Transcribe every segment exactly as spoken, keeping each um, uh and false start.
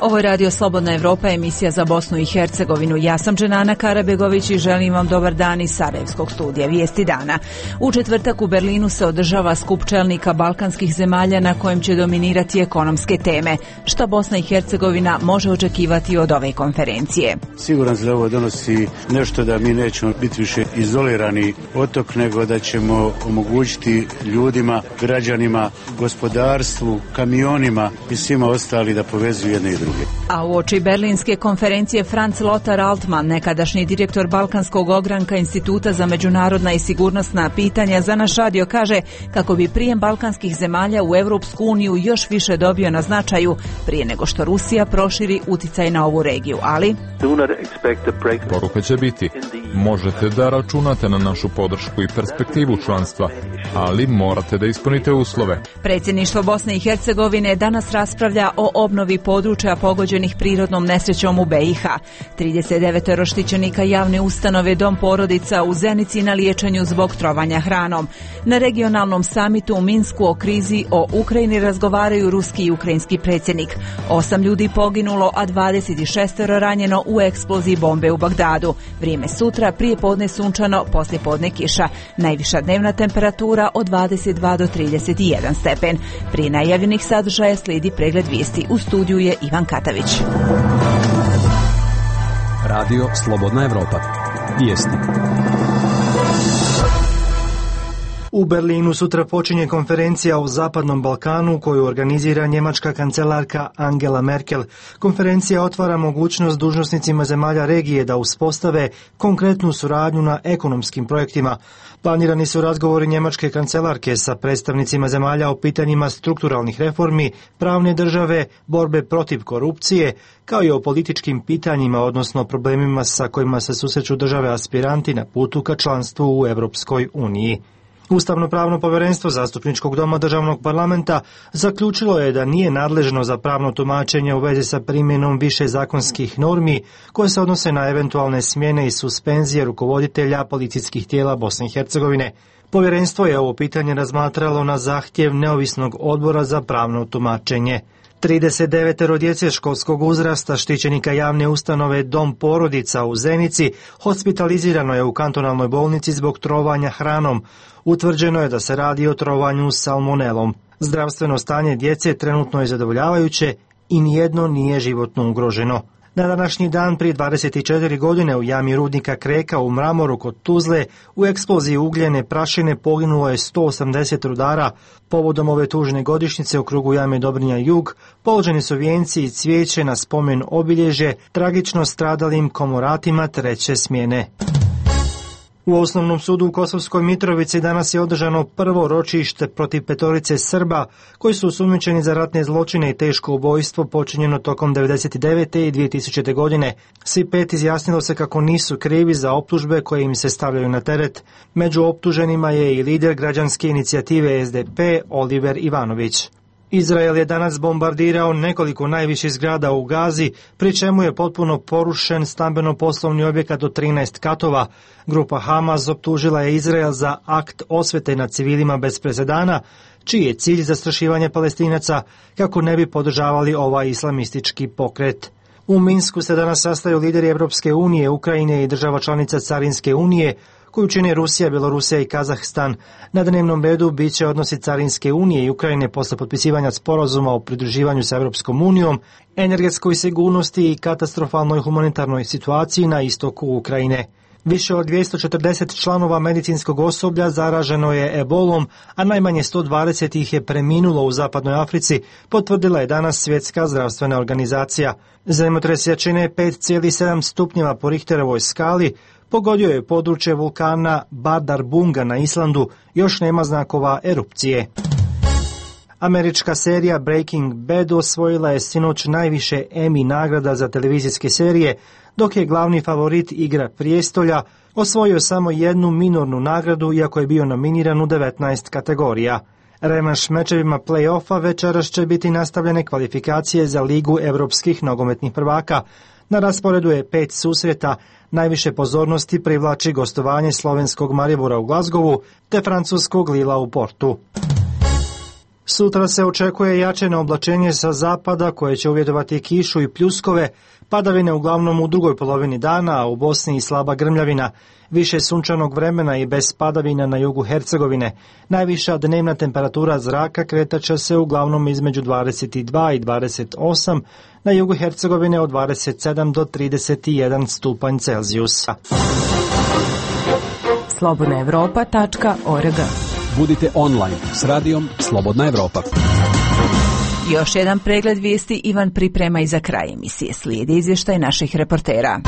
Ovo je Radio Slobodna Evropa, emisija za Bosnu i Hercegovinu. Ja sam Dženana Karabegović i želim vam dobar dan iz Sarajevskog studija Vijesti dana. U četvrtak u Berlinu se održava skup čelnika balkanskih zemalja na kojem će dominirati ekonomske teme. Šta Bosna i Hercegovina može očekivati od ove konferencije? Siguran sam da ovo donosi nešto da mi nećemo biti više izolirani otok, nego da ćemo omogućiti ljudima, građanima, gospodarstvu, kamionima i svima ostali da povezuju jedne i druge. A uoči berlinske konferencije Franz Lothar Altmann, nekadašnji direktor Balkanskog ogranka Instituta za međunarodna i sigurnosna pitanja, za naš radio kaže kako bi prijem balkanskih zemalja u Europsku uniju još više dobio na značaju prije nego što Rusija proširi uticaj na ovu regiju, ali poruka će biti: možete da računate na našu podršku i perspektivu članstva, ali morate da ispunite uslove. Predsjedništvo Bosne i Hercegovine danas raspravlja o obnovi područja pogođenih prirodnom nesrećom u be i ha. trideset devet štićenika javne ustanove Dom porodica u Zenici na liječenju zbog trovanja hranom. Na regionalnom samitu u Minsku o krizi o Ukrajini razgovaraju ruski i ukrajinski predsjednik. Osam ljudi poginulo, a dvadeset šest ranjeno u eksploziji bombe u Bagdadu. Vrijeme sutra, prije podne sunčano, poslije podne kiša. Najviša dnevna temperatura od dvadeset dva do trideset jedan stepen. Prije najavljenih sadržaja slijedi pregled vijesti. U studiju je Ivan Katavić. Radio Slobodna Evropa. Vijesti. U Berlinu sutra počinje konferencija o Zapadnom Balkanu koju organizira njemačka kancelarka Angela Merkel. Konferencija otvara mogućnost dužnosnicima zemalja regije da uspostave konkretnu suradnju na ekonomskim projektima. Planirani su razgovori njemačke kancelarke sa predstavnicima zemalja o pitanjima strukturalnih reformi, pravne države, borbe protiv korupcije, kao i o političkim pitanjima, odnosno problemima sa kojima se susreću države aspiranti na putu ka članstvu u Europskoj uniji. Ustavno-pravno povjerenstvo Zastupničkog doma državnog parlamenta zaključilo je da nije nadležno za pravno tumačenje u vezi sa primjenom više zakonskih normi koje se odnose na eventualne smjene i suspenzije rukovoditelja policijskih tijela Bosne i Hercegovine. Povjerenstvo je ovo pitanje razmatralo na zahtjev neovisnog odbora za pravno tumačenje. trideset devet djece školskog uzrasta štićenika javne ustanove Dom porodica u Zenici hospitalizirano je u kantonalnoj bolnici zbog trovanja hranom. Utvrđeno je da se radi o trovanju salmonelom. Zdravstveno stanje djece trenutno je zadovoljavajuće i nijedno nije životno ugroženo. Na današnji dan prije dvadeset četiri godine u jami rudnika Kreka u Mramoru kod Tuzle u eksploziji ugljene prašine poginulo je sto osamdeset rudara. Povodom ove tužne godišnjice u krugu jame Dobrinja Jug položeni su vijenci i cvijeće na spomen obilježje tragično stradalim komoratima treće smjene. U Osnovnom sudu u Kosovskoj Mitrovici danas je održano prvo ročište protiv petorice Srba koji su osumnjičeni za ratne zločine i teško ubojstvo počinjeno tokom devedeset devete i dvije tisućite. godine. Svi pet izjasnilo se kako nisu krivi za optužbe koje im se stavljaju na teret. Među optuženima je i lider građanske inicijative es de pe Oliver Ivanović. Izrael je danas bombardirao nekoliko najviših zgrada u Gazi, pri čemu je potpuno porušen stambeno-poslovni objekat od trinaest katova. Grupa Hamas optužila je Izrael za akt osvete nad civilima bez presedana, čiji je cilj zastrašivanje Palestinaca kako ne bi podržavali ovaj islamistički pokret. U Minsku se danas sastaju lideri Europske unije, Ukrajine i država članica Carinske unije, koju čine Rusija, Belorusija i Kazahstan. Na dnevnom redu bit će odnosi Carinske unije i Ukrajine posle potpisivanja sporazuma o pridruživanju sa Europskom unijom, energetskoj sigurnosti i katastrofalnoj humanitarnoj situaciji na istoku Ukrajine. Više od dvjesto četrdeset članova medicinskog osoblja zaraženo je ebolom, a najmanje sto dvadeset ih je preminulo u zapadnoj Africi, potvrdila je danas Svjetska zdravstvena organizacija. Zemljotres jačine pet zarez sedam stupnjeva po Richterovoj skali pogodio je područje vulkana Bardarbunga na Islandu, još nema znakova erupcije. Američka serija Breaking Bad osvojila je sinoć najviše Emmy nagrada za televizijske serije, dok je glavni favorit Igra prijestolja osvojio samo jednu minornu nagradu, iako je bio nominiran u devetnaest kategorija. Revanš mečevima play-offa večeras će biti nastavljene kvalifikacije za Ligu evropskih nogometnih prvaka. Na rasporedu je pet susreta, najviše pozornosti privlači gostovanje slovenskog Maribora u Glazgovu te francuskog Lila u Portu. Sutra se očekuje jačeno oblačenje sa zapada koje će uvjetovati kišu i pljuskove, padavine uglavnom u drugoj polovini dana, a u Bosni i slaba grmljavina, više sunčanog vremena i bez padavina na jugu Hercegovine. Najviša dnevna temperatura zraka kretaće se uglavnom između dvadeset dva i dvadeset osam, na jugu Hercegovine od dvadeset sedam do trideset jedan stupanj Celzijusa. slobodna evropa tačka org. Budite online s radijom Slobodna Evropa. Još jedan pregled vijesti Ivan priprema i za kraj emisije. Slijedi izvještaj naših reportera.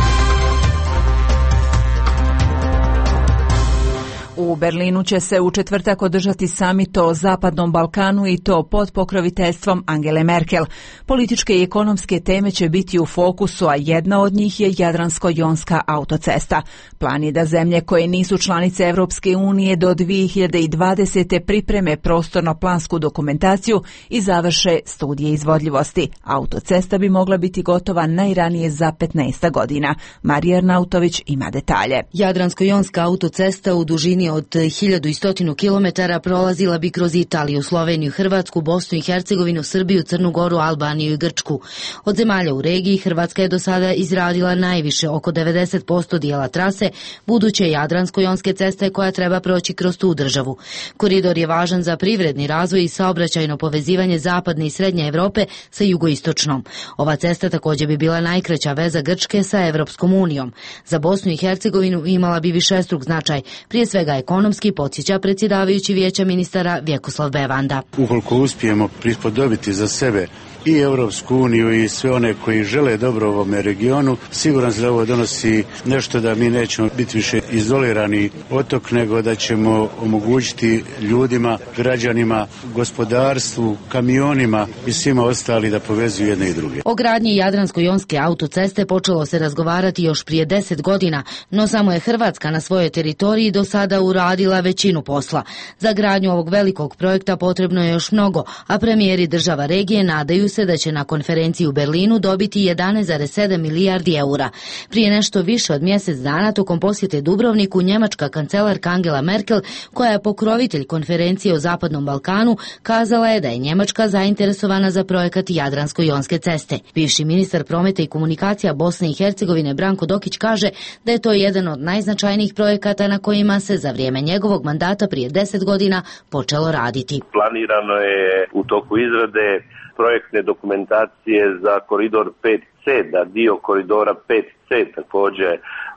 U Berlinu će se u četvrtak održati samit o Zapadnom Balkanu i to pod pokroviteljstvom Angele Merkel. Političke i ekonomske teme će biti u fokusu, a jedna od njih je Jadransko-jonska autocesta. Plan je da zemlje koje nisu članice Evropske unije do dvije hiljade dvadesete pripreme prostorno-plansku dokumentaciju i završe studije izvodljivosti. Autocesta bi mogla biti gotova najranije za petnaest godina. Marija Arnautović ima detalje. Jadransko-jonska autocesta u dužini od hiljadu sto kilometara prolazila bi kroz Italiju, Sloveniju, Hrvatsku, Bosnu i Hercegovinu, Srbiju, Crnu Goru, Albaniju i Grčku. Od zemalja u regiji Hrvatska je do sada izradila najviše, oko devedeset posto dijela trase buduće Jadransko-jonske ceste koja treba proći kroz tu državu. Koridor je važan za privredni razvoj i saobraćajno povezivanje zapadne i srednje Evrope sa jugoistočnom. Ova cesta također bi bila najkraća veza Grčke sa Evropskom unijom. Za Bosnu i Hercegovinu imala bi višestruk značaj, prije svega ekonomski, podsjeća predsjedavajući vijeća ministara Vjekoslav Bevanda. Ukoliko uspijemo prispodobiti za sebe i Europsku uniju i sve one koji žele dobro ovome regionu, siguran sam da ovo donosi nešto da mi nećemo biti više izolirani otok, nego da ćemo omogućiti ljudima, građanima, gospodarstvu, kamionima i svima ostali da povezuju jedne i druge. O gradnji Jadransko-jonske autoceste počelo se razgovarati još prije deset godina, no samo je Hrvatska na svojoj teritoriji do sada uradila većinu posla. Za gradnju ovog velikog projekta potrebno je još mnogo, a premijeri država regije nadaju se da će na konferenciji u Berlinu dobiti jedanaest zarez sedam milijardi eura. Prije nešto više od mjesec dana tokom posjete Dubrovniku njemačka kancelarka Angela Merkel, koja je pokrovitelj konferencije o Zapadnom Balkanu, kazala je da je Njemačka zainteresovana za projekat Jadransko-jonske ceste. Bivši ministar prometa i komunikacija Bosne i Hercegovine Branko Dokić kaže da je to jedan od najznačajnijih projekata na kojima se za vrijeme njegovog mandata prije deset godina počelo raditi. Planirano je u toku izrade projektne dokumentacije za koridor pet ce, da dio koridora pet ce također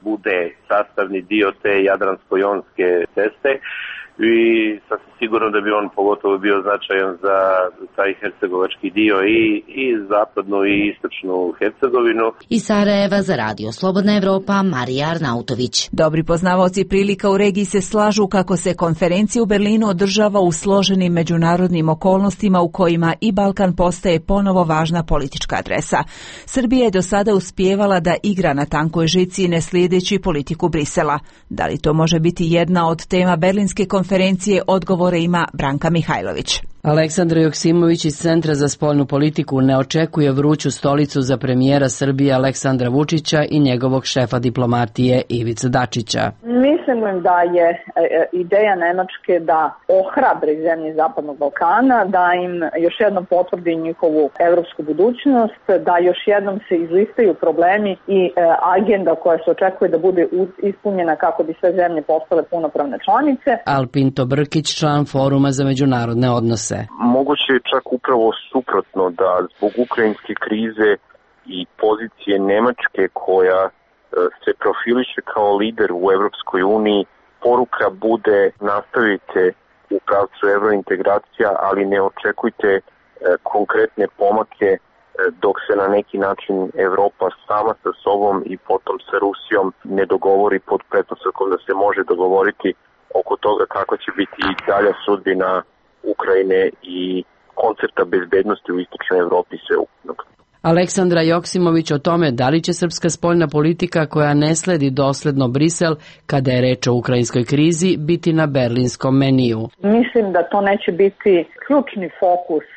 bude sastavni dio te Jadransko-jonske ceste i sasvim sigurno da bi on pogotovo bio značajan za taj hercegovački dio i, i zapadnu i istočnu Hercegovinu. Iz Sarajeva za radio Slobodna Evropa, Marija Arnautović. Dobri poznavaoci prilika u regiji se slažu kako se konferencija u Berlinu održava u složenim međunarodnim okolnostima u kojima i Balkan postaje ponovo važna politička adresa. Srbija je do sada uspijevala da igra na tankoj žici ne slijedeći politiku Brisela. Da li to može biti jedna od tema berlinske konferencije, odgovore ima Branka Mihajlović. Aleksandar Joksimović iz Centra za spoljnu politiku ne očekuje vruću stolicu za premijera Srbije Aleksandra Vučića i njegovog šefa diplomatije Ivice Dačića. Mislim da je ideja Nemačke da ohrabri zemlje Zapadnog Balkana, da im još jednom potvrdi njihovu evropsku budućnost, da još jednom se izlistaju problemi i agenda koja se očekuje da bude ispunjena kako bi sve zemlje postale punopravne članice. Alpinto Brkić, član Foruma za međunarodne odnose. Moguće je čak upravo suprotno, da zbog ukrajinske krize i pozicije Nemačke koja se profiliše kao lider u Evropskoj uniji, poruka bude nastavite u pravcu evrointegracija, ali ne očekujte konkretne pomake dok se na neki način Evropa sama sa sobom i potom sa Rusijom ne dogovori pod pretpostavkom da se može dogovoriti oko toga kako će biti i dalja sudbina Ukrajine i koncepta bezbednosti u istočnoj Evropi sveukupnog. Aleksandra Joksimović o tome da li će srpska spoljna politika koja ne sledi dosledno Brisel kada je reč o ukrajinskoj krizi biti na berlinskom meniju. Mislim da to neće biti ključni fokus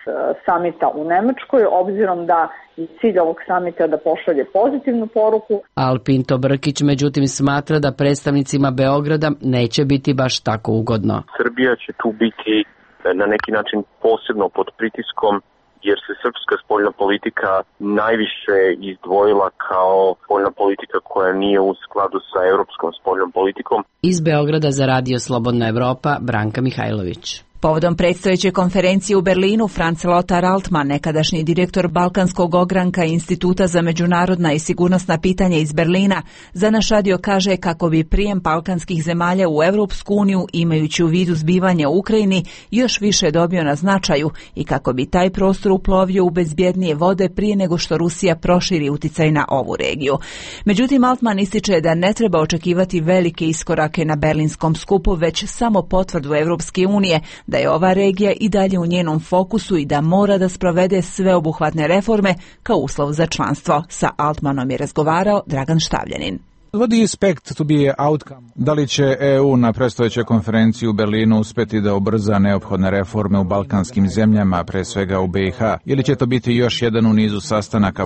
samita u Nemačkoj, obzirom da i cilj ovog samita da pošalje pozitivnu poruku. Alpinto Brkić međutim smatra da predstavnicima Beograda neće biti baš tako ugodno. Srbija će tu biti na neki način posebno pod pritiskom, jer se srpska spoljna politika najviše izdvojila kao spoljna politika koja nije u skladu sa europskom spoljnom politikom. Iz Beograda za Radio Slobodna Evropa, Branka Mihajlović. Povodom predstojeće konferencije u Berlinu, Franz Lothar Altmann, nekadašnji direktor Balkanskog ogranka Instituta za međunarodna i sigurnosna pitanja iz Berlina, za naš radio kaže kako bi prijem balkanskih zemalja u Europsku uniju, imajući u vidu zbivanja u Ukrajini, još više dobio na značaju i kako bi taj prostor uplovio u bezbjednije vode prije nego što Rusija proširi uticaj na ovu regiju. Međutim, Altmann ističe da ne treba očekivati velike iskorake na berlinskom skupu, već samo potvrdu Europske unije da je ova regija i dalje u njenom fokusu i da mora da sprovede sveobuhvatne reforme kao uslov za članstvo. Sa Altmanom je razgovarao Dragan Štavljanin. What do you expect to be outcome? Da li će E U na predstojećoj konferenciji u Berlinu uspjeti da ubrza neophodne reforme u balkanskim zemljama, pre svega u B i H, ili će to biti još jedan u nizu sastanaka?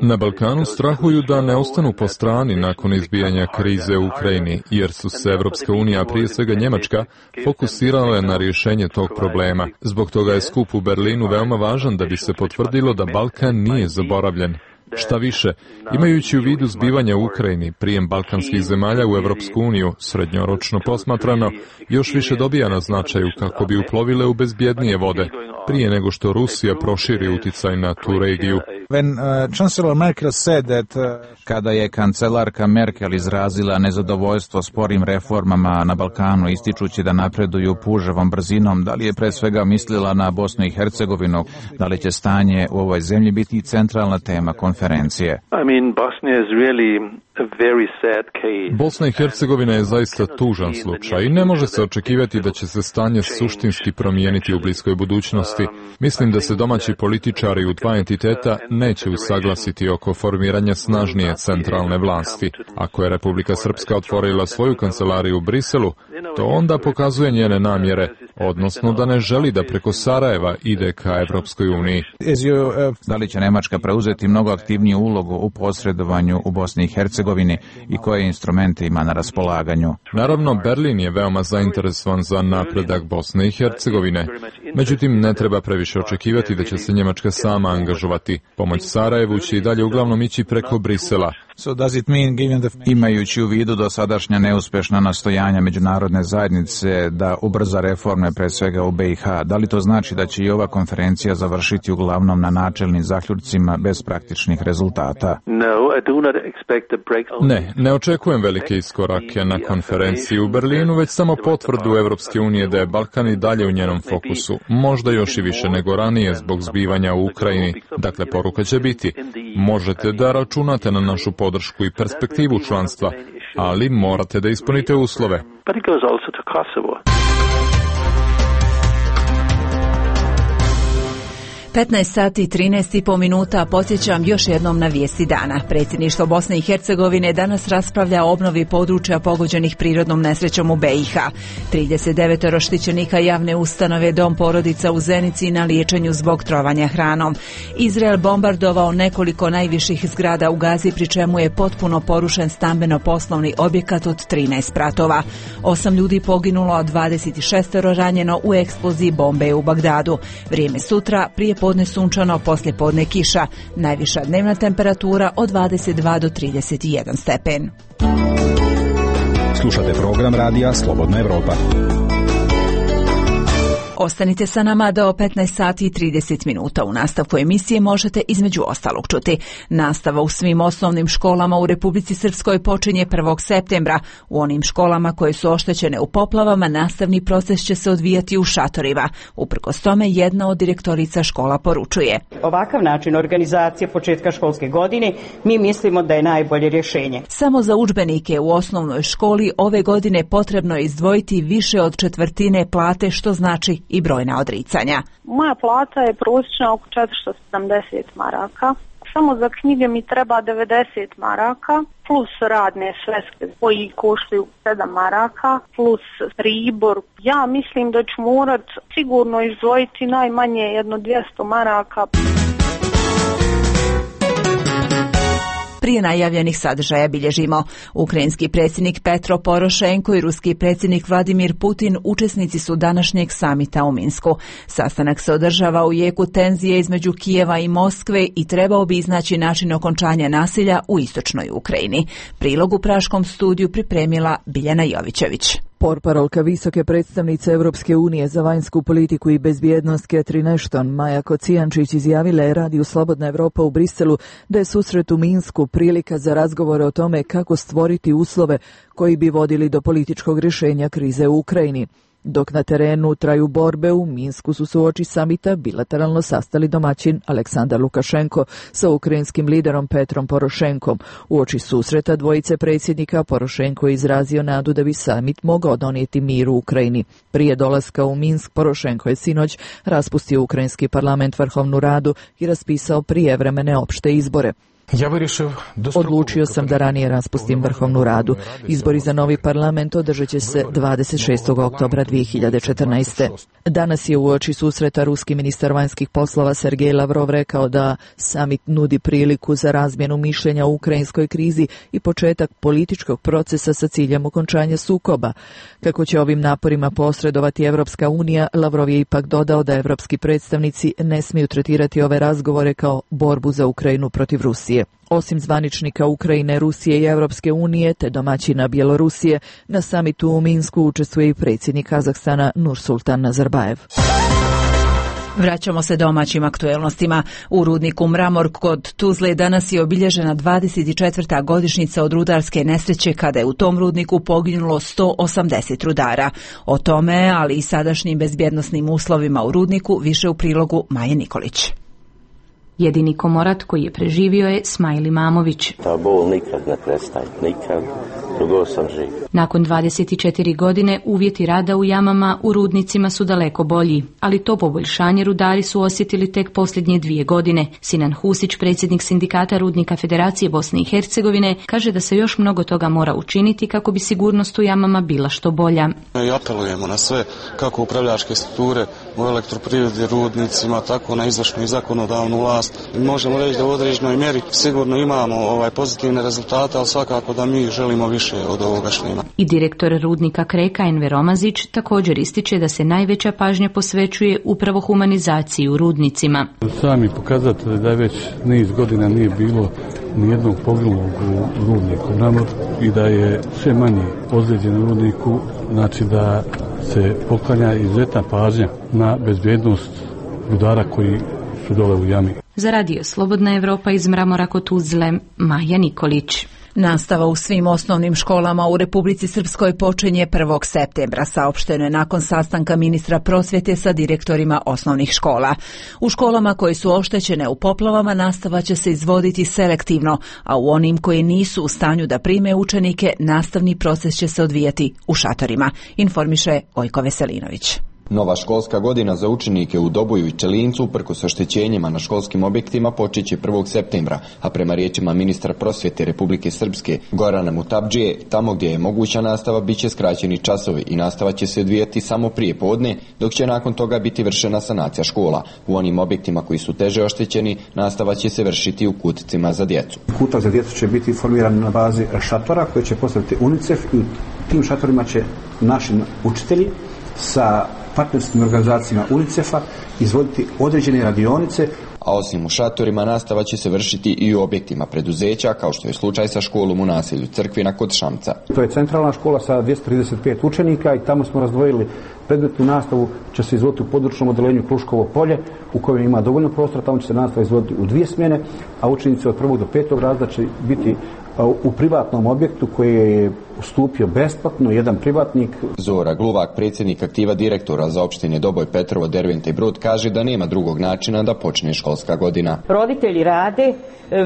Na Balkanu strahuju da ne ostanu po strani nakon izbijanja krize u Ukrajini, jer su se Evropska unija, prije svega Njemačka, fokusirale na rješenje tog problema. Zbog toga je skup u Berlinu veoma važan da bi se potvrdilo da Balkan nije zaboravljen. Šta više, imajući u vidu zbivanja u Ukrajini, prijem balkanskih zemalja u Evropsku uniju, srednjoročno posmatrano, još više dobija na značaju kako bi uplovile u bezbjednije vode, prije nego što Rusija proširi uticaj na tu regiju. When, uh, Chancellor Merkel said that, uh... Kada je kancelarka Merkel izrazila nezadovoljstvo sporim reformama na Balkanu, ističući da napreduju puževom brzinom, da li je pre svega mislila na Bosnu i Hercegovinu, da li će stanje u ovoj zemlji biti centralna tema konferencije? I mean, Bosnia is really a very sad case. Bosna i Hercegovina je zaista tužan slučaj i ne može se očekivati da će se stanje suštinski promijeniti u bliskoj budućnosti. Mislim da se domaći političari u dva entiteta neće usaglasiti oko formiranja snažnije centralne vlasti. Ako je Republika Srpska otvorila svoju kancelariju u Briselu, to onda pokazuje njene namjere, odnosno da ne želi da preko Sarajeva ide ka Evropskoj uniji. Da li će Nemačka preuzeti mnogo aktivniju ulogu u posredovanju u Bosni i Hercegovini i koje instrumente ima na raspolaganju? Naravno, Berlin je veoma zainteresovan za napredak Bosne i Hercegovine. Međutim, ne treba previše očekivati da će se Njemačka sama angažovati. Pomoć Sarajevu će i dalje uglavnom ići preko Brisela. So does it mean, given the... Imajući u vidu dosadašnja neuspješna nastojanja međunarodne zajednice da ubrza reforme pre svega u B i H, da li to znači da će i ova konferencija završiti uglavnom na načelnim zaključcima bez praktičnih rezultata? Ne, ne očekujem velike iskorake na konferenciji u Berlinu, već samo potvrdu Evropske unije da je Balkan i dalje u njenom fokusu, možda još i više nego ranije zbog zbivanja u Ukrajini. Dakle, poruka će biti, možete da računate na našu podršku i perspektivu članstva, ali morate da ispunite uslove. petnaest sati i trinaest i po minuta, podsjećam još jednom na vijesti dana. Predsjedništvo Bosne i Hercegovine danas raspravlja o obnovi područja pogođenih prirodnom nesrećom u B i H. trideset devet štićenika javne ustanove Dom porodica u Zenici na liječenju zbog trovanja hranom. Izrael bombardovao nekoliko najviših zgrada u Gazi, pri čemu je potpuno porušen stambeno-poslovni objekat od trinaest spratova. Osam ljudi poginulo, a dvadeset šest ranjeno u eksploziji bombe u Bagdadu. Vrijeme sutra, prije podne sunčano, poslije podne kiša. Najviša dnevna temperatura od dvadeset dva do trideset jedan stepen. Slušate program radija Slobodna Evropa. Ostanite sa nama do petnaest sati i trideset minuta. U nastavku emisije možete između ostalog čuti. Nastava u svim osnovnim školama u Republici Srpskoj počinje prvog septembra. U onim školama koje su oštećene u poplavama nastavni proces će se odvijati u šatorima. Uprkos tome, jedna od direktorica škola poručuje: ovakav način organizacije početka školske godine mi mislimo da je najbolje rješenje. Samo za udžbenike u osnovnoj školi ove godine potrebno je izdvojiti više od četvrtine plate, što znači i brojna odricanja. Moja plata je prosječna oko četiristo sedamdeset maraka. Samo za knjige mi treba devedeset maraka, plus radne sveske koji koštaju sedam maraka, plus pribor. Ja mislim da ću morat sigurno izdvojiti najmanje jedno dvjesto maraka. Prije najavljenih sadržaja bilježimo. Ukrajinski predsjednik Petro Porošenko i ruski predsjednik Vladimir Putin učesnici su današnjeg samita u Minsku. Sastanak se održava u jeku tenzije između Kijeva i Moskve i trebao bi iznaći način okončanja nasilja u istočnoj Ukrajini. Prilog u praškom studiju pripremila Biljana Jovićević. Portparolka visoke predstavnice Europske unije za vanjsku politiku i bezbjednost Catherine Ashton, Maja Kocijančić, izjavila je radiju Slobodna Evropa u Briselu da je susret u Minsku prilika za razgovore o tome kako stvoriti uslove koji bi vodili do političkog rješenja krize u Ukrajini. Dok na terenu traju borbe, u Minsku su se uoči samita bilateralno sastali domaćin Aleksandar Lukašenko sa ukrajinskim liderom Petrom Porošenkom. Uoči susreta dvojice predsjednika Porošenko je izrazio nadu da bi samit mogao donijeti mir u Ukrajini. Prije dolaska u Minsk, Porošenko je sinoć raspustio ukrajinski parlament, Vrhovnu radu i raspisao prijevremene opšte izbore. Odlučio sam da ranije raspustim Vrhovnu radu. Izbori za novi parlament održat će se dvadeset šestog oktobra dvije hiljade četrnaeste. Danas je uoči susreta ruski ministar vanjskih poslova Sergej Lavrov rekao da samit nudi priliku za razmjenu mišljenja o ukrajinskoj krizi i početak političkog procesa sa ciljem okončanja sukoba. Kako će ovim naporima posredovati Evropska unija, Lavrov je ipak dodao da evropski predstavnici ne smiju tretirati ove razgovore kao borbu za Ukrajinu protiv Rusije. Osim zvaničnika Ukrajine, Rusije i Evropske unije te domaćina Bjelorusije, na samitu u Minsku učestvuje i predsjednik Kazahstana Nursultan Nazarbajev. Vraćamo se domaćim aktuelnostima. U rudniku Mramor kod Tuzle danas je obilježena dvadeset četvrta godišnjica od rudarske nesreće kada je u tom rudniku poginulo sto osamdeset rudara. O tome, ali i sadašnjim bezbjednosnim uslovima u rudniku, više u prilogu Maje Nikolić. Jedini komorat koji je preživio je Smajli Mamović. Ta bol nikad ne prestaje, nikad, dugo sam živ. Nakon dvadeset četiri godine uvjeti rada u jamama u rudnicima su daleko bolji, ali to poboljšanje rudari su osjetili tek posljednje dvije godine. Sinan Husić, predsjednik sindikata Rudnika Federacije Bosne i Hercegovine, kaže da se još mnogo toga mora učiniti kako bi sigurnost u jamama bila što bolja. I apelujemo na sve, kako upravljačke strukture u elektroprivredi, rudnicima, tako na izvršnu i zakonodavnu vlast. Možemo reći da u određenoj mjeri sigurno imamo ovaj pozitivne rezultate, ali svakako da mi želimo više od ovoga što ima. I direktor rudnika Kreka Enver Omazić također ističe da se najveća pažnja posvećuje upravo humanizaciji u rudnicima. Sami pokazatelji da već niz godina nije bilo nijednog poginulog u rudniku Mramor i da je sve manje ozlijeđeno u rudniku, znači da se poklanja izuzetna pažnja na bezbjednost rudara koji su dole u jami. Za radio Slobodna Evropa iz Mramora kod Tuzle, Maja Nikolić. Nastava u svim osnovnim školama u Republici Srpskoj počinje prvog septembra, saopšteno je nakon sastanka ministra prosvjete sa direktorima osnovnih škola. U školama koje su oštećene u poplavama nastava će se izvoditi selektivno, a u onim koji nisu u stanju da prime učenike nastavni proces će se odvijati u šatorima, informiše Ojko Veselinović. Nova školska godina za učenike u Doboju i Čelincu uprkos oštećenjima na školskim objektima počeće prvog septembra, a prema riječima ministra prosvjete Republike Srpske Gorana Mutabdžije, tamo gdje je moguća nastava biće skraćeni časovi i nastava će se odvijati samo prije podne, dok će nakon toga biti vršena sanacija škola. U onim objektima koji su teže oštećeni, nastava će se vršiti u kuticima za djecu. Kutak za djecu će biti formiran na bazi šatora koje će postaviti UNICEF i u tim šatorima će naši učitelji sa partnerskim organizacijama UNICEF-a izvoditi određene radionice. A osim u šatorima, nastava će se vršiti i u objektima preduzeća, kao što je slučaj sa školom u naselju Crkvina kod Šamca. To je centralna škola sa dvjesto trideset pet učenika i tamo smo razdvojili predmetnu nastavu, će se izvoditi u područnom odeljenju Kruškovo polje, u kojem ima dovoljno prostora, tamo će se nastava izvoditi u dvije smjene, a učenici od prvog do petog razreda će biti u privatnom objektu koji je ustupio besplatno jedan privatnik. Zora Gluvak, predsjednik aktiva direktora za opštine Doboj, Petrovo, Derventa i Brod, kaže da nema drugog načina da počne školska godina. Roditelji rade,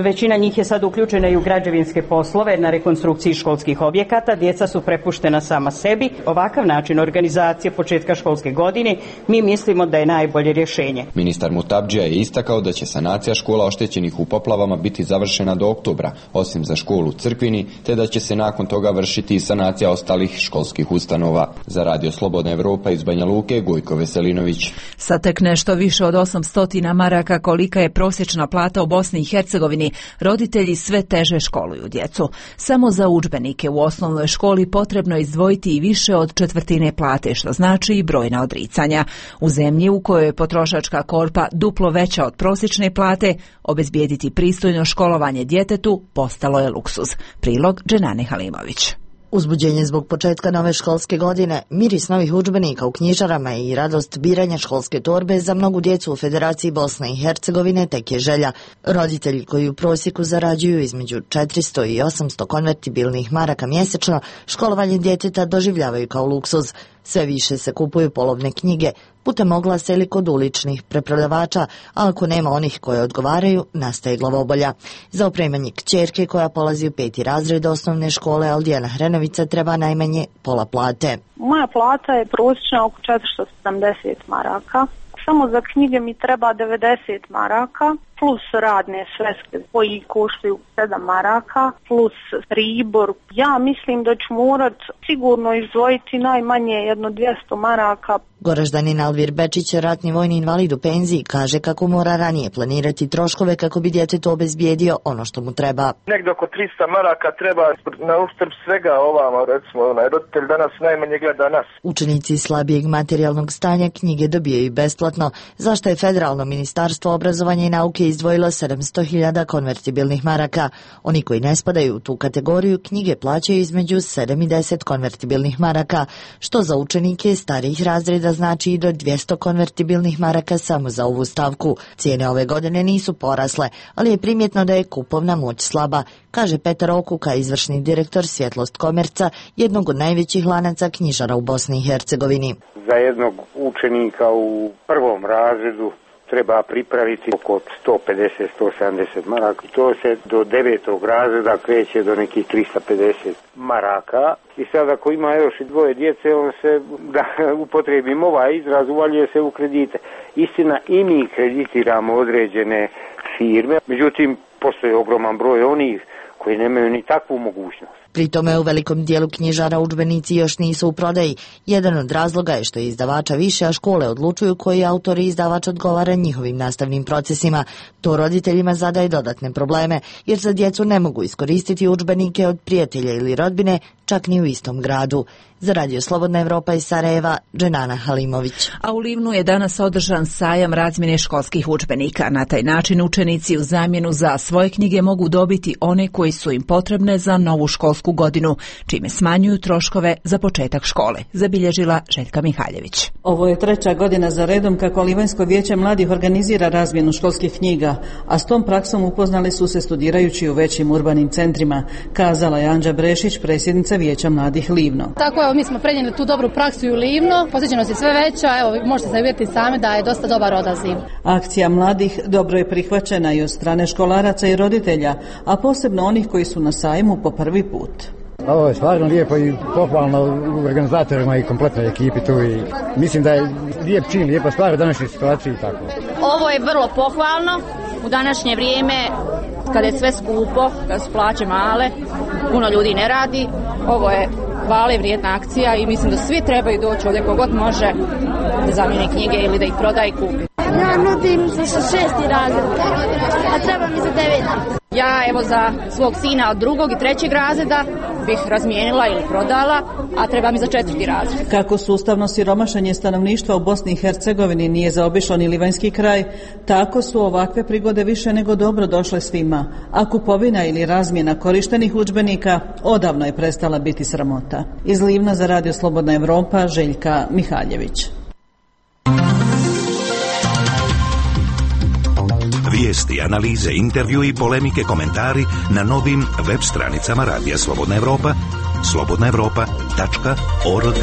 većina njih je sad uključena i u građevinske poslove na rekonstrukciji školskih objekata, djeca su prepuštena sama sebi. Ovakav način organizacije početka školske godine mi mislimo da je najbolje rješenje. Ministar Mutabdžija je istakao da će sanacija škola oštećenih u poplavama biti završena do oktobra, osim za školu školu Crkvini, te da će se nakon toga vršiti i sanacija ostalih školskih ustanova. Za Radio Slobodna Evropa iz Banja Luke, Gojko Veselinović. Sa tek nešto više od osamsto maraka kolika je prosječna plata u Bosni i Hercegovini, roditelji sve teže školuju djecu. Samo za udžbenike u osnovnoj školi potrebno je izdvojiti i više od četvrtine plate, što znači i brojna odricanja. U zemlji u kojoj je potrošačka korpa duplo veća od prosječne plate, obezbijediti pristojno školovanje djetetu postalo je luksuz. Prilog Dženane Halimović. Uzbuđenje zbog početka nove školske godine, miris novih udžbenika u knjižarama i radost biranja školske torbe za mnogu djecu u Federaciji Bosne i Hercegovine tek je želja. Roditelji koji u prosjeku zarađuju između četiristo i osamsto konvertibilnih maraka mjesečno, školovanje djeteta doživljavaju kao luksuz. Sve više se kupuju polovne knjige, putem oglasa ili kod uličnih preprodavača, a ako nema onih koje odgovaraju, nastaje glavobolja. Za opremanje kćerke koja polazi u peti razred osnovne škole Aldijana Hrenovica treba najmanje pola plate. Moja plata je prosječna oko četiristo sedamdeset maraka. Samo za knjige mi treba devedeset maraka, plus radne sveske koji koštaju sedam maraka, plus pribor. Ja mislim da ću morat sigurno izdvojiti najmanje jedno dvjesto maraka. Goraždanin Alvir Bečić, ratni vojni invalid u penziji, kaže kako mora ranije planirati troškove kako bi djetetu obezbijedio ono što mu treba. Negdje oko trista maraka treba na uštrb svega ovamo, recimo, onaj roditelj danas najmanje gleda nas. Učenici slabijeg materijalnog stanja knjige dobijaju besplatno, zašto je Federalno ministarstvo obrazovanja i nauke izdvojilo sedamsto hiljada konvertibilnih maraka. Oni koji ne spadaju u tu kategoriju knjige plaćaju između sedam i deset konvertibilnih maraka, što za učenike starijih razreda znači i do dvjesto konvertibilnih maraka samo za ovu stavku. Cijene ove godine nisu porasle, ali je primjetno da je kupovna moć slaba, kaže Petar Okuka, izvršni direktor Svjetlost Komerca, jednog od najvećih lanaca knjižara u Bosni i Hercegovini. Za jednog učenika u prvom razredu treba pripraviti oko sto pedeset do sto sedamdeset maraka. To se do devetog razreda kreće do nekih trista pedeset maraka. I sad ako ima još i dvoje djece, on se, da upotrijebim ovaj izraz, uvaljuje se u kredite. Istina, i mi kreditiramo određene firme, međutim, postoji ogroman broj onih koji nemaju ni takvu mogućnost. Pri tome u velikom dijelu knjižara udžbenici još nisu u prodaji. Jedan od razloga je što je izdavača više, a škole odlučuju koji autor i izdavač odgovara njihovim nastavnim procesima. To roditeljima zadaje dodatne probleme, jer za djecu ne mogu iskoristiti udžbenike od prijatelja ili rodbine, čak ni u istom gradu. Za Radio Slobodna Evropa iz Sarajeva, Dženana Halimović. A u Livnu je danas održan sajam razmjene školskih udžbenika. Na taj način učenici u zamjenu za svoje knjige mogu dobiti one koji su im potrebne za novu školsku godinu, čime smanjuju troškove za početak škole, zabilježila Željka Mihaljević. Ovo je treća godina za redom kako Livanjsko vijeće mladih organizira razmjenu školskih knjiga, a s tom praksom upoznali su se studirajući u većim urbanim centrima, kazala je Anđa Brešić, predsjednica Vijeća mladih Livno. Tako, evo, mi smo prenijeli tu dobru praksu i u Livno, posjećenost je sve veća, evo, možete se vidjeti sami da je dosta dobar odaziv. Akcija mladih dobro je prihvaćena i od strane školaraca i roditelja, a posebno onih koji su na sajmu po prvi put. Ovo je stvarno lijepo i pohvalno u organizatorima i kompletnoj ekipi tu i mislim da je lijep čin, lijepa stvar u današnjoj situaciji i tako. Ovo je vrlo pohvalno u današnje vrijeme kada je sve skupo, kada su plaće male, puno ljudi ne radi. Ovo je hvale vrijedna akcija i mislim da svi trebaju doći ovdje kogod može da zamijeni knjige ili da ih proda i kupi. Ja nudim za šesti razred, a treba mi za deveti. Ja evo za svog sina od drugog i trećeg razreda bih razmijenila ili prodala, a treba mi za četvrti razred. Kako sustavno siromašenje stanovništva u Bosni i Hercegovini nije zaobišlo ni livanjski kraj, tako su ovakve prigode više nego dobro došle svima, a kupovina ili razmjena korištenih udžbenika odavno je prestala biti sramota. Iz Livna za Radio Slobodna Evropa, Željka Mihaljević. Vijesti, analize, intervju i polemike, komentari na novim web stranicama Radija Slobodna Evropa, slobodna evropa tačka org.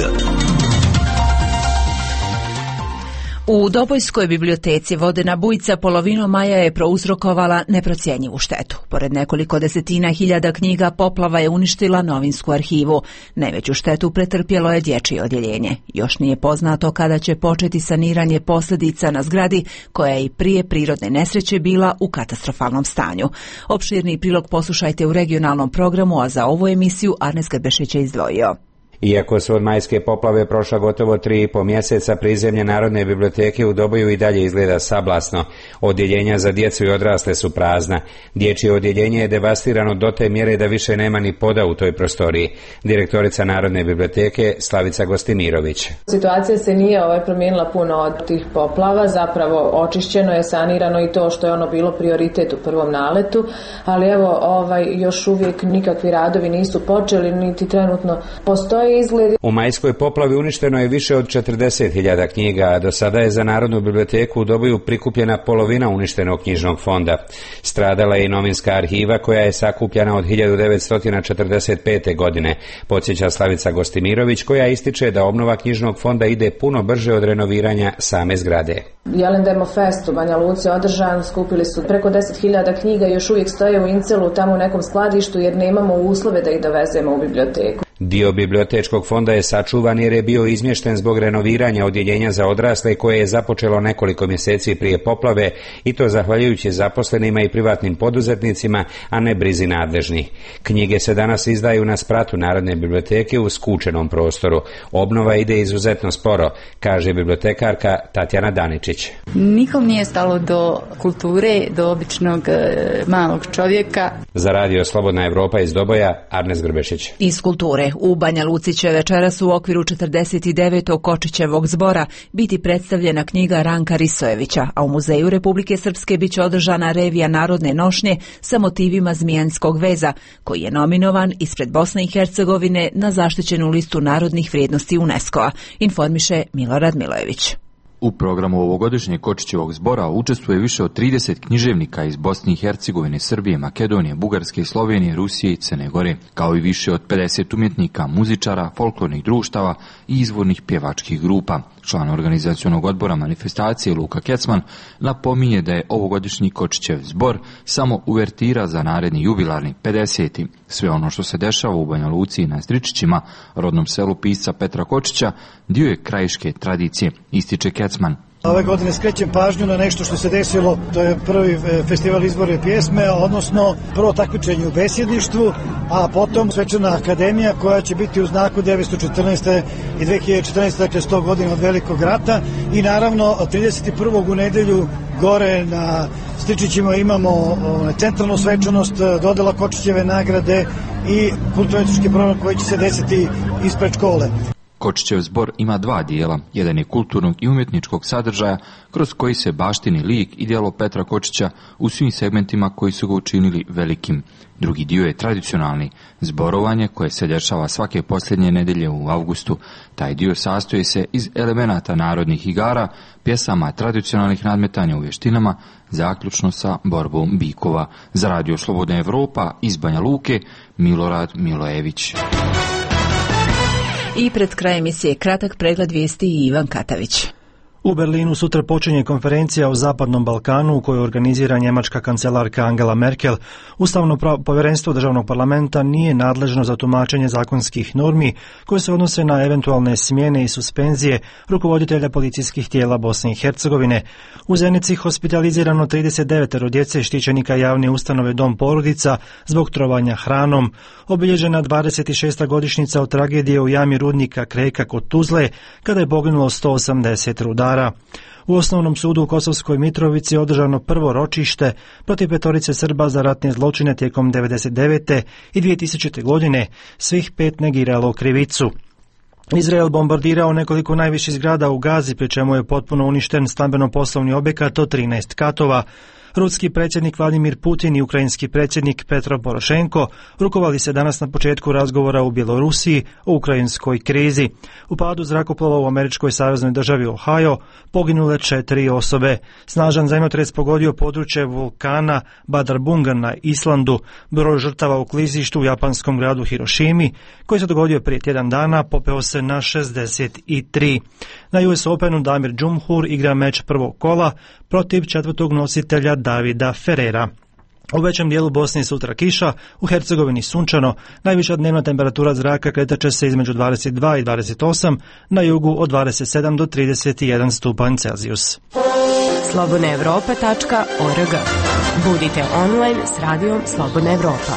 U Dobojskoj biblioteci vodena bujica polovinom maja je prouzrokovala neprocjenjivu štetu. Pored nekoliko desetina hiljada knjiga, poplava je uništila novinsku arhivu. Najveću štetu pretrpjelo je dječje odjeljenje. Još nije poznato kada će početi saniranje posljedica na zgradi koja je i prije prirodne nesreće bila u katastrofalnom stanju. Opširni prilog poslušajte u regionalnom programu, a za ovu emisiju Arnes Grbešić je izdvojio. Iako su od majske poplave prošla gotovo tri i po mjeseca, prizemlje Narodne biblioteke u Doboju i dalje izgleda sablasno. Odjeljenja za djecu i odrasle su prazna. Dječje odjeljenje je devastirano do te mjere da više nema ni poda u toj prostoriji. Direktorica Narodne biblioteke Slavica Gostimirović. Situacija se nije ovaj promijenila puno od tih poplava, zapravo očišćeno je, sanirano i to što je ono bilo prioritet u prvom naletu, ali evo ovaj, još uvijek nikakvi radovi nisu počeli, niti trenutno postoji izgled. U majskoj poplavi uništeno je više od četrdeset hiljada knjiga, a do sada je za Narodnu biblioteku u Doboju prikupljena polovina uništenog knjižnog fonda. Stradala je i novinska arhiva koja je sakupljena od hiljadu devetsto četrdeset pete. godine, podsjeća Slavica Gostimirović, koja ističe da obnova knjižnog fonda ide puno brže od renoviranja same zgrade. Jelen Demo Fest u Banja Luci održan, skupili su preko deset hiljada knjiga, još uvijek stoje u Incelu tamo u nekom skladištu jer nemamo uslove da ih dovezemo u biblioteku. Dio bibliotečkog fonda je sačuvan jer je bio izmješten zbog renoviranja odjeljenja za odrasle koje je započelo nekoliko mjeseci prije poplave, i to zahvaljujući zaposlenima i privatnim poduzetnicima, a ne brizi nadležnih. Knjige se danas izdaju na spratu Narodne biblioteke u skučenom prostoru. Obnova ide izuzetno sporo, kaže bibliotekarka Tatjana Daničić. Nikom nije stalo do kulture, do običnog e, malog čovjeka. Za radio Slobodna Evropa iz Doboja, Arnes Grbešić. Iz kulture. U Banja Luci će večeras u okviru četrdeset devetog Kočićevog zbora biti predstavljena knjiga Ranka Risojevića, a u Muzeju Republike Srpske biće održana revija narodne nošnje sa motivima zmijanskog veza, koji je nominovan ispred Bosne i Hercegovine na zaštićenu listu narodnih vrijednosti UNESCO-a, informiše Milorad Milojević. U programu ovogodišnjeg Kočićevog zbora učestvuje više od trideset književnika iz Bosne i Hercegovine, Srbije, Makedonije, Bugarske, Slovenije, Rusije i Crne Gore, kao i više od pedeset umjetnika, muzičara, folklornih društava i izvornih pjevačkih grupa. Član organizacionog odbora manifestacije Luka Kecman napominje da je ovogodišnji Kočićev zbor samo uvertira za naredni jubilarni pedeseti. Sve ono što se dešava u Banja Luci i na Stričićima, rodnom selu pisca Petra Kočića, dio je krajiške tradicije, ističe Kecman. Ove godine skrećem pažnju na nešto što se desilo, to je prvi festival izborne pjesme, odnosno prvo takmičenje u besjedništvu, a potom svečana akademija koja će biti u znaku devetsto četrnaeste. i dve hiljade četrnaeste. dakle sto godina od Velikog rata, i naravno trideset prvog u nedelju gore na Stričićima imamo centralnu svečanost, dodela Kočićeve nagrade i kulturno-etički program koji će se desiti ispred škole. Kočićev zbor ima dva dijela, jedan je kulturnog i umjetničkog sadržaja kroz koji se baštini lik i djelo Petra Kočića u svim segmentima koji su ga učinili velikim. Drugi dio je tradicionalni, zborovanje koje se dešava svake posljednje nedelje u avgustu. Taj dio sastoji se iz elemenata narodnih igara, pjesama, tradicionalnih nadmetanja u vještinama, zaključno sa borbom bikova. Za radio Slobodna Evropa iz Banja Luke, Milorad Milojević. I pred krajem emisije kratak pregled vijesti i Ivan Katavić. U Berlinu sutra počinje konferencija o Zapadnom Balkanu u kojoj organizira njemačka kancelarka Angela Merkel. Ustavno povjerenstvo državnog parlamenta nije nadležno za tumačenje zakonskih normi koje se odnose na eventualne smjene i suspenzije rukovoditelja policijskih tijela Bosne i Hercegovine. U Zenici hospitalizirano trideset devet djece štićenika javne ustanove Dom porodica zbog trovanja hranom. Obilježena dvadeset šesta godišnjica od tragedije u jami rudnika Kreka kod Tuzle kada je poginulo sto osamdeset rudara. U Osnovnom sudu u Kosovskoj Mitrovici održano prvo ročište protiv petorice Srba za ratne zločine tijekom devedeset devete. i dvije tisućite. godine. Svih pet negiralo krivicu. Izrael bombardirao nekoliko najviših zgrada u Gazi, pri čemu je potpuno uništen stambeno-poslovni objekat od trinaest katova. Ruski predsjednik Vladimir Putin i ukrajinski predsjednik Petro Porošenko rukovali se danas na početku razgovora u Bjelorusiji o ukrajinskoj krizi. U padu zrakoplova u američkoj saveznoj državi Ohio poginule četiri osobe. Snažan zemljotres pogodio područje vulkana Badarbunga na Islandu. Broj žrtava u klizištu u japanskom gradu Hirošimi, koji se dogodio prije tjedan dana, popeo se na šezdeset tri. Na U S Openu Damir Džumhur igra meč prvog kola protiv četvrtog nositelja Davida Ferrera. U većem dijelu Bosne sutra kiša, u Hercegovini sunčano, najviša dnevna temperatura zraka kretaće se između dvadeset dva i dvadeset osam, na jugu od dvadeset sedam do trideset jedan stupanj Celzijus. slobodna evropa tačka org. Budite online s radijom Slobodna Evropa.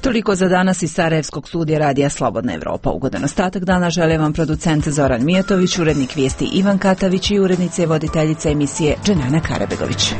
Toliko za danas iz Sarajevskog studija radija Slobodna Evropa. Ugodan ostatak dana žele vam producent Zoran Mijatović, urednik vijesti Ivan Katavić i urednice i voditeljica emisije Dženana Karabegović.